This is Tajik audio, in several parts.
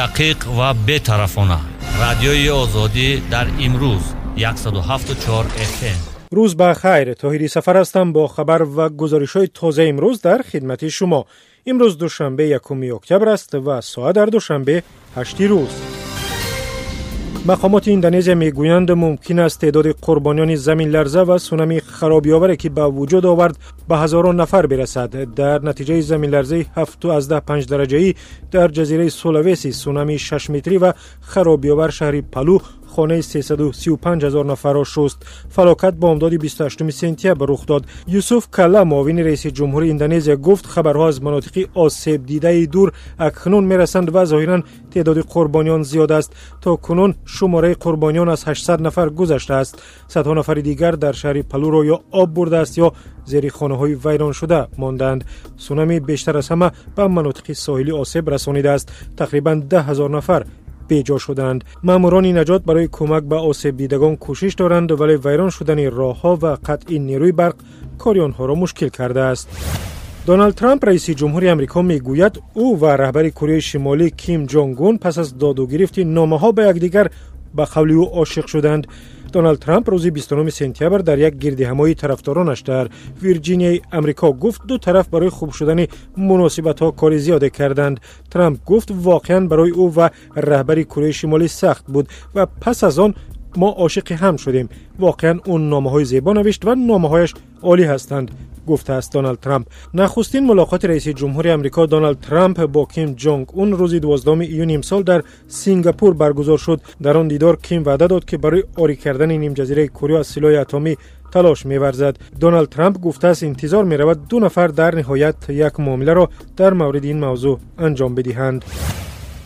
Дақиқ ва бетарафона, Радиои Озодӣ дар имрӯз 107,4 FM. Рӯз ба хайр, Тоҳири Сафар ҳастам, бо хабар ва гузоришҳои тозаи имрӯз дар хидмати шумо. Имрӯз душанбе, 1 октябр аст ва соат дар Душанбе 8 рӯз. Мақомоти Индонезия мегӯянд, мумкин аст теъдоди қурбониёни заминларза ва сунами харобиоваре, ки ба вуҷуд овард, ба ҳазорон нафар бирасад. Дар натиҷаи заминларзаи 7,5 дараҷаӣ дар ҷазираи Сулавеси, сунами 6 метрӣ ва харобиовар шаҳри Палу хонаи 335 ҳазор нафарро шуст. Фалокат бомдоди 28 сентябр рух дод. Юсуф Кала, муовини раиси ҷумҳури Индонезия, гуфт, хабарҳо аз манотиқи осебдидаи дур акнун мерасанд ва зоҳиран теъдоди қурбониён зиёд аст. То кунун шумораи қурбониён аз 800 нафар гузаштааст. Садҳо нафари дигар дар шаҳри Палуро ё об бурдааст, ё зери хонаҳои вайроншуда мондаанд. Сунами бештар аз ҳама ба манотиқи соҳилӣ осеб расонидааст. Тақрибан 10 000 нафар беҷо шуданд. Маъмурони наҷот барои кӯмак ба осебдидагон кӯшиш доранд, вале вайрон шудани роҳҳо ва қатъи нерӯи барқ кори онҳоро мушкил кардааст. Доналд Трамп, раиси ҷумҳури Амрико, мегӯяд, ӯ ва раҳбари Кореяи Шимолӣ Ким Ҷонг Ун пас аз доду гирифти номаҳо ба якдигар, ба қавли ӯ, ошиқ шуданд. Доналд Трамп рӯзи 29 сентябр дар як гирдиҳамоии тарафдоронаш дар Вирҷинияи Амрико гуфт, ду тараф барои хуб шудани муносибатҳо кори зиёде карданд. Трамп гуфт, воқеан барои ӯ ва раҳбари Кореяи Шимолӣ сахт буд ва пас аз он мо ошиқи ҳам шудем. Воқеан ӯ номаҳои зебо навишт ва номаҳояш олӣ ҳастанд, гуфтааст Доналд Трамп. Нахустин мулоқоти раиси ҷумҳури Амрико Доналд Трамп бо Ким Ҷонг Ун рӯзи 12 июни имсол дар Сингапур баргузор шуд. Дар он дидор Ким ваъда дод, ки барои орӣ кардани нимҷазираи Корея аз силоҳи атомӣ талош меварзад. Доналд Трамп гуфтааст, интизор меравад, ду нафар дар ниҳоят як муомиларо дар мавриди ин мавзӯъ анҷом бидиҳанд.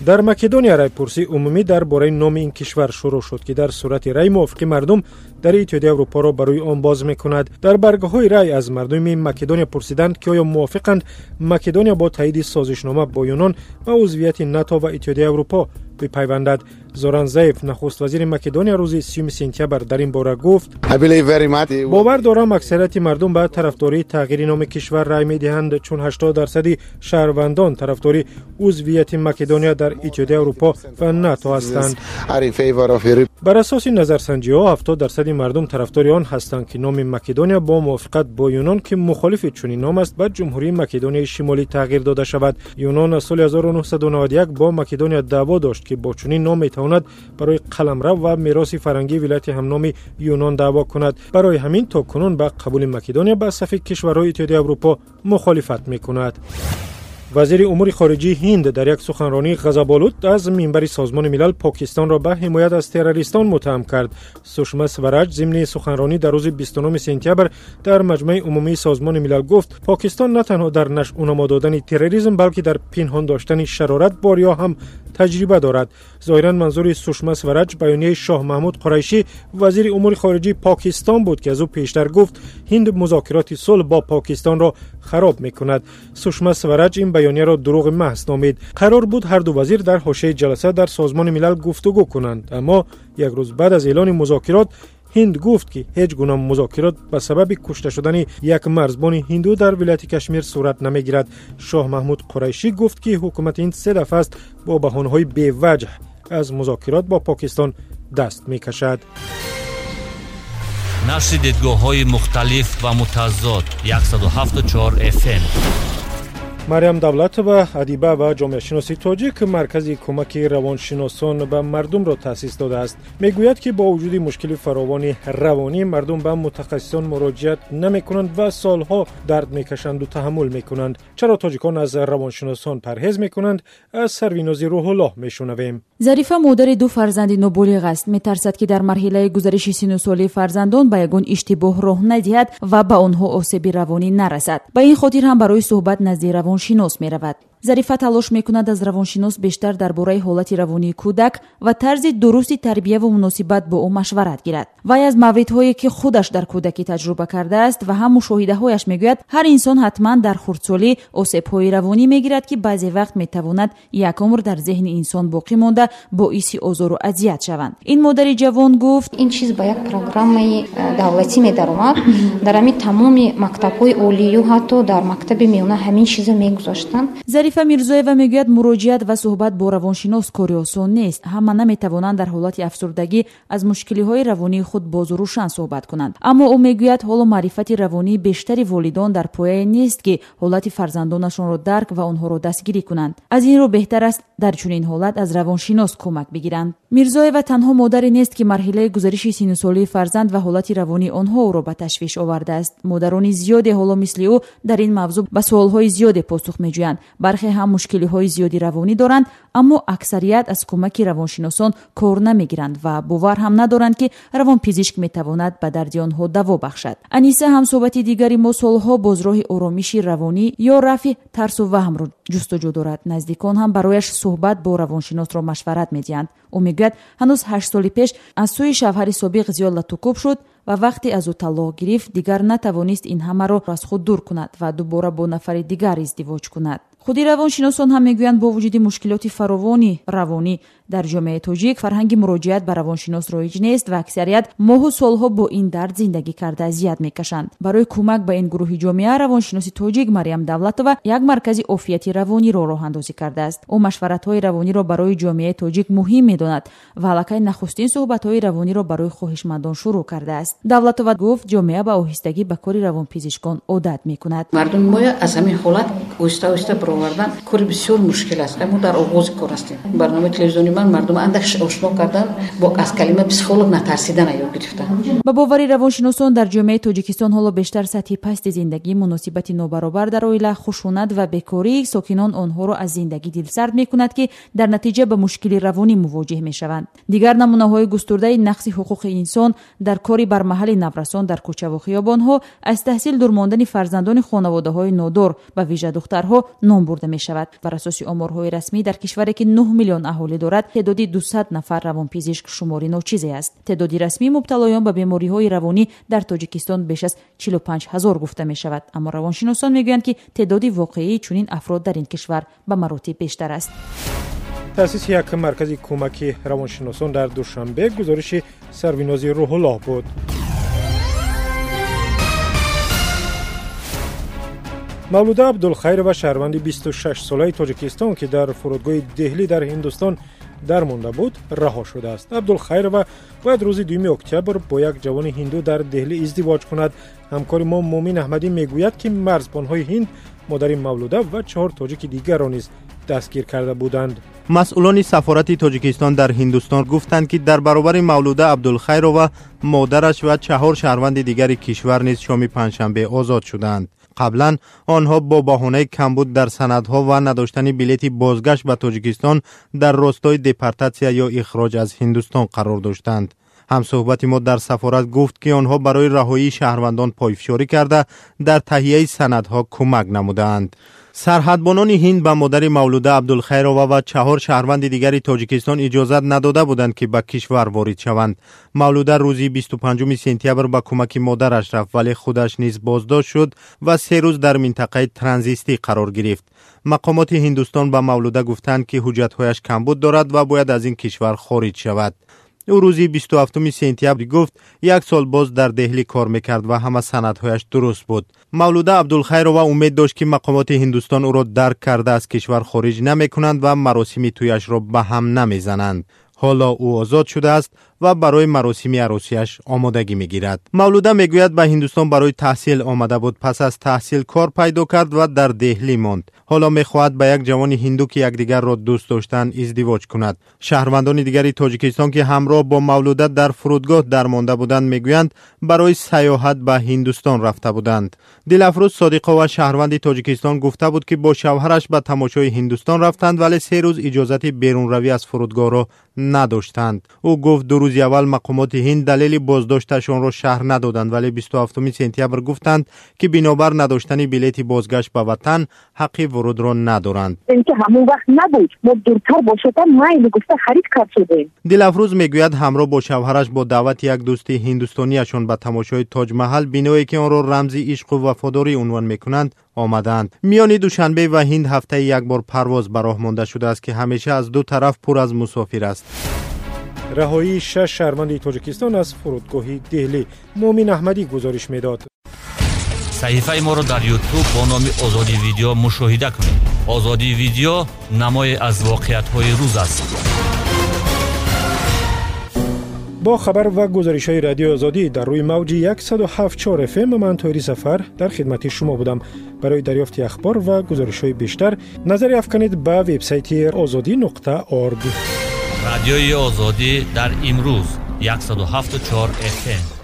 Дар Македония райпурсии умумӣ дар бораи номи ин кишвар шурӯъ шуд, ки дар сурати рай мувофиқи мардум дар Иттиҳодияи Аврупоро ба рӯи он боз мекунад. Дар баргоҳҳои рай аз мардуми Македония пурсиданд, ки оё мувофиқанд Македония бо таъиди созишнома бо Юнон ба узвияти НАТО ва Иттиҳодияи Аврупо бипайвандад. Зоран Заев, нахуст вазири Македония, рӯзи 30 сентябр дар ин бора гуфт: «Бовар дорам, аксарияти мардум ба тарафдории тағйири номи кишвар рай медиҳанд, чун 80 дарсади шаҳрвандон тарафдори узвияти Македония дар Иттиҳодияи Аврупо ва НАТО ҳастанд». Бар асоси назарсанҷиҳо, 70 дарсади мардум тарафдори он ҳастанд, ки номи Македония бо мувофиқат бо Юнон, ки мухолифи чунин ном аст, ба Ҷумҳурии Македонияи Шимолӣ тағйир дода шавад. Юнон аз соли 1991 бо Македония даъво дошт, ки бо чунин ном метавонад барои қаламрав ва мероси фарҳангии вилояти ҳамноми Юнон даъво кунад. Барои ҳамин то кунун ба қабули Македония ба сафи кишварҳои Иттиҳодияи Аврупо мухолифат мекунад. Вазири умури хориҷии Ҳинд дар як суханронии ғазаболуд аз минбари Созмони Милал Покистонро ба ҳимоят аз террористон муттаҳам кард. Сушма Свараҷ зимни суханронӣ дар рӯзи 29 сентябр дар Маҷмаи умумии Созмони Милал гуфт, Покистон на танҳо дар нашъунамо додани терроризм, балки дар пинҳон доштани шарорат бо риё ҳам таҷриба дорад. Зоҳиран манзури Сушма Свараҷ баёнияи Шоҳ Маҳмуд Қурайшӣ, вазири умури хориҷии Покистон буд, ки аз ӯ пештар гуфт, Ҳинд музокироти сулҳ бо Покистонро хароб мекунад. Сушма Свараҷ ин баёнияро дурӯғи маҳз номид. Қарор буд ҳарду вазир дар ҳошияи ҷаласа дар Созмони Милал гуфтугӯ кунанд, аммо як рӯз баъд аз эълони музокирот Ҳинд гуфт, ки ҳеҷ гуна музокирот ба сабаби кушта шудани як марзбони ҳинду дар вилояти Кашмир сурат намегирад. Шоҳ Маҳмуд Қурайшӣ гуфт, ки ҳукумати Ҳинд се дафъа аст бо баҳонаҳои беваҷҳ аз музокирот бо Покистон даст мекашад. Нашри дидгоҳҳои мухталиф ва мутазод, 107,4 FM. Мариям Давлатова, адиба ва ҷомеашиноси тоҷик, маркази кӯмаки равоншиносон ба мардумро таъсис додааст. Мегӯяд, ки бо вуҷуди мушкили фаровони равонӣ мардум ба мутахассисон муроҷиат намекунанд ва солҳо дард мекашанду таҳаммул мекунанд. Чаро тоҷикон аз равоншиносон парҳез мекунанд, аз Сарвинози Рӯҳуллоҳ мешунавем. Зарифа модари ду фарзанди ноболиғ аст. Метарсад, ки дар марҳилаи гузариши сину солии фарзандон ба ягон иштибоҳ роҳ надиҳад ва ба онҳо осеби равонӣ нарасад. Ба ин хотир ҳам барои суҳбат назди равоншинос меравад. Зарифа талош мекунад, аз равоншинос бештар дар бораи ҳолати равонии кӯдак ва тарзи дурусти тарбияву муносибат бо ӯ машварат гирад. Вай аз мавридҳое, ки худаш дар кӯдакӣ таҷриба кардааст, ва ҳам мушоҳидаҳояш мегӯяд, ҳар инсон ҳатман дар хурдсолӣ осебҳои равонӣ мегирад, ки баъзе вақт метавонад як умр дар зеҳни инсон боқӣ монда, боиси озору азият шаванд. Ин модари ҷавон гуфт: Ин чиз ба як программаи давлатӣ медаромад. Дар ҳамин тамоми мактабҳои олию ҳатто дар мактаби миёна ҳамин чизо мегузоштанд. Зарифа. Зарифа Мирзоева мегӯяд, муроҷиат ва суҳбат бо равоншинос кори осон нест. Ҳама наметавонанд дар ҳолати афсурдагӣ аз мушкилиҳои равонии худ бозу рӯшан суҳбат кунанд. Аммо ӯ мегӯяд, ҳоло маърифати равонии бештари волидон дар пояе нест, ки ҳолати фарзандонашонро дарк ва онҳоро дастгирӣ кунанд. Аз ин рӯ беҳтар аст дар чунин ҳолат аз равоншинос кӯмак бигиранд. Мирзоева танҳо модаре нест, ки марҳилаи гузариши синну солии фарзанд ва ҳолати равонии онҳо ӯро ба ташвиш овардааст. Модарони зиёде ҳоло мисли ӯ дар ин мавзӯъ ба суолҳои зиёде посух меҷӯянд. Бархе ҳам мушкилиҳои зиёди равонӣ доранд, аммо аксарият аз кӯмаки равоншиносон кор намегиранд ва бовар ҳам надоранд, ки равонпизишк метавонад ба дарди онҳо даво бахшад. Аниса, ҳамсӯҳбати дигари мо, солҳо боз роҳи оромиши равонӣ ё рафъи тарсу ваҳмро ҷустуҷӯ дорад. Наздикон ҳам барояш суҳбат бо равоншиносро машварат медиҳанд. Ӯ мегӯяд, ҳанӯз 8 соли пеш аз сӯи шавҳари собиқ зиёд латукӯб шуд ва вақте аз ӯ талоқ гирифт, дигар натавонист ин ҳамаро аз худ дур кунад ва дубора бо нафари дигар издивоҷ кунад. Худи равоншиносон ҳам мегӯянд, бо вуҷуди мушкилоти фаровони равонӣ дар ҷомеаи тоҷик, фарҳанги муроҷиат ба равоншинос роиҷ нест ва аксарият моҳу солҳо бо ин дард зиндагӣ карда азият мекашанд. Барои кӯмак ба ин гурӯҳи ҷомеа равоншиноси тоҷик Марьям Давлатова як маркази офияти равониро роҳандозӣ кардааст. Ӯ машваратҳои равониро барои ҷомеаи тоҷик муҳим медонад ва аллакай нахустин суҳбатҳои равониро барои хоҳишмандон шурӯъ кардааст. Давлатова гуфт, ҷомеа ба оҳистагӣ ба кори равонпизишкон одат мекунад. Мардуми мо аз ҳамин ҳолат оҳиста оҳиста баровардан кори бисёр мушкил аст. Мо дар оғози кор ҳастем. Барномаи телевизиони ман мардум андак ошно кардан бо аз калима психолог натарсидан ёд гирифтан. Ба бовари равоншиносон, дар ҷомеаи Тоҷикистон ҳоло бештар сатҳи пасти зиндагӣ, муносибати нобаробар дар оила, хушунат ва бекории сокинон онҳоро аз зиндагӣ дилсард мекунад, ки дар натиҷа ба мушкили равонӣ мувоҷеҳ мешаванд. Дигар намунаҳои густурдаи нақси ҳуқуқи инсон дар кори бармаҳали наврасон дар кӯчаву хиёбонҳо, аз таҳсил дур мондани фарзандони хонаводаҳои нодор, ба вижа духтарҳо ном бурда мешавад. Бар асоси оморҳои расмӣ, дар кишваре ки 9 миллион аҳолӣ дорад, теъдоди 200 нафар равонпизишк шумори ночизе аст. Теъдоди расмии мубталоён ба бемориҳои равонӣ дар Тоҷикистон беш аз 45 ҳазор гуфта мешавад, аммо равоншиносон мегӯянд, ки теъдоди воқеии чунин афрод дар ин кишвар ба маротиб бештар аст. Таъсиси як маркази кӯмаки равоншиносон дар Душанбе, гузориши Сарвинози Рӯҳуллоҳ буд. Мавлуда Абдулхайрова, шаҳрванди 26-солаи Тоҷикистон, ки дар фурудгоҳи Деҳлӣ дар Ҳиндустон дармонда буд, раҳо шудааст. Абдулхайрова бояд рӯзи 2 октябр бо як ҷавони ҳинду дар Деҳлӣ издивоҷ кунад. Ҳамкори мо Мумин Аҳмадӣ мегӯяд, ки марзбонҳои ҳинд модари Мавлуда ва 4 тоҷики дигарро низ дастгир карда буданд. Масъулони сафорати Тоҷикистон дар Ҳиндустон гуфтанд, ки дар баробари Мавлуда Абдулхайрова модараш ва 4 шаҳрванди дигари кишвар низ шоми панҷшанбе озод шуданд. Қаблан онҳо бо баҳонаи камбуд дар санадҳо ва надоштани билети бозгашт ба Тоҷикистон дар ростои депортатсия ё ихроҷ аз Ҳиндустон қарор доштанд. Ҳамсӯҳбати мо дар сафорат гуфт, ки онҳо барои раҳоии шаҳрвандон пойфишорӣ карда дар таҳияи санадҳо кӯмак намудаанд. Сарҳадбонони ҳинд ба модари Мавлуда Абдулхайрова ва 4 шаҳрванди дигари Тоҷикистон иҷозат надода буданд, ки ба кишвар ворид шаванд. Мавлуда рӯзи 25 сентябр ба кӯмаки модараш рафт, вале худаш низ боздошт шуд ва 3 рӯз дар минтақаи транзистӣ қарор гирифт. Мақомоти Ҳиндустон ба Мавлуда гуфтанд, ки ҳуҷҷатҳояш камбуд дорад ва бояд аз ин кишвар хориҷ шавад. Ӯ рӯзи 27 сентябр гуфт, 1 сол боз дар Деҳлӣ кор мекард ва ҳама санадҳояш дуруст буд. Мавлуда Абдулхайрова умед дошт, ки мақомоти Ҳиндустон ӯро дарк карда аз кишвар хориҷ намекунанд ва маросими тӯяшро ба ҳам намезананд. Ҳоло ӯ озод шудааст ва барои маросими арӯсиаш омодагӣ мегирад. Мавлуда мегӯяд, ба Ҳиндустон барои таҳсил омада буд. Пас аз таҳсил кор пайдо кард ва дар Деҳлӣ монд. Ҳоло мехоҳад ба як ҷавони ҳинду, ки якдигарро дӯст доштанд, издивоҷ кунад. Шаҳрвандони дигари Тоҷикистон, ки ҳамроҳ бо Мавлуда дар фурудгоҳ дармонда буданд, мегӯянд барои сайёҳат ба Ҳиндустон рафта буданд. Дилафрӯз Содиқова, шаҳрванди Тоҷикистон, гуфта буд, ки бо шавҳараш ба тамошои Ҳиндустон рафтанд, вале 3 рӯз иҷозати берунравӣ аз фурудгоҳро надоштанд. Ӯ гуфт, 2 рӯзи аввал мақомоти ҳинд далели боздошташонро шарҳ надоданд, вале 27 сентябр гуфтанд, ки бинобар надоштани билети бозгашт ба ватан ҳаққи вурудро надоранд. Ҳамон вақт набуд, мо дуртар бошадам майли гуфта харид кард шудем. Дилафрӯз мегӯяд, ҳамроҳ бо шавҳараш бо даъвати як дӯсти ҳиндустониашон ба тамошои Тоҷмаҳал, биное ки онро рамзи ишқу вафодорӣ унвон мекунанд, омадаанд. Миёни Душанбе ва ҳинд ҳафтаи як бор парвоз ба роҳ монда шудааст, ки ҳамеша аз 2 тараф пур аз мусофир аст. Раҳоии 6 шаҳрванди Тоҷикистон аз фурудгоҳи Деҳлӣ, Мумин Аҳмадӣ гузориш медод. Саҳифаи моро дар Ютуб бо номи Озодӣ Видео мушоҳида кунед. Озодӣ видео намое аз воқеиятҳои рӯз аст. Бо хабар ва гузоришҳои Радиои Озодӣ дар рӯи мавҷи 107,4 FM ман Тоҳири Сафар дар хидмати шумо будам. Барои дарёфти ахбор ва гузоришҳои бештар назаре афканед ба вебсайти ozodi.org. Радиои Озодӣ дар имрӯз 107,4 FM.